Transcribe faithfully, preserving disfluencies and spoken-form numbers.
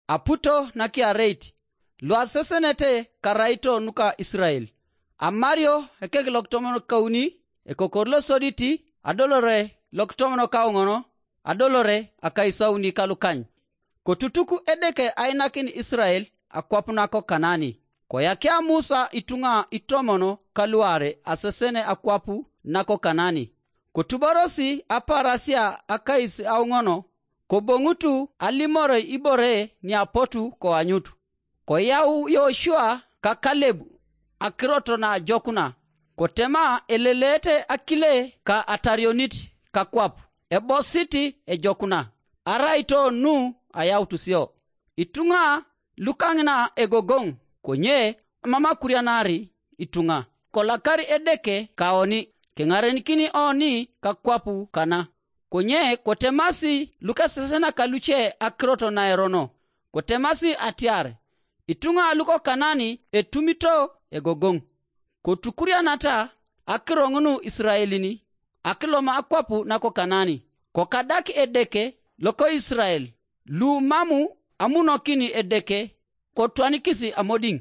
aputo nakiareit, luasesenete karaito nuka Isirael. Amario ekek lokitomon kauni, ekokor losoditi, adolore lokitomon kauŋon, adolore akaisauni kalukany. Kotutuk Edeke ainakin Isirael akwap nako Kanani. Koyakia Musa ituŋa itomon kaluare asesene akwap nako Kanani. Kotuborosi aparasia akais auŋono, koboŋutu alimoroi ibore niapotu koanyut. Koyau Yoshua ka Kaleb akirot naajokuna, kotema eleleete akile ka atarionit kakwap, ebosit ejokuna, araito nu ayautusio. Ituŋa lukaŋina egogoŋ, konye mam akurianari ituŋa. Kolakar Edeke kaoni, keŋarenikini oni kakwap kana. Konye kotemasi lukesesenaka luce akirot naerono, kotemasi atiar, ituŋa luko Kanani etumito egogoŋ. Kotukurianata akiro ŋun Isiraelin akiloma akwap nako Kanani, kokadak Edeke loko Isirael, lu mam amunokin Edeke kotwanikis amodiŋ.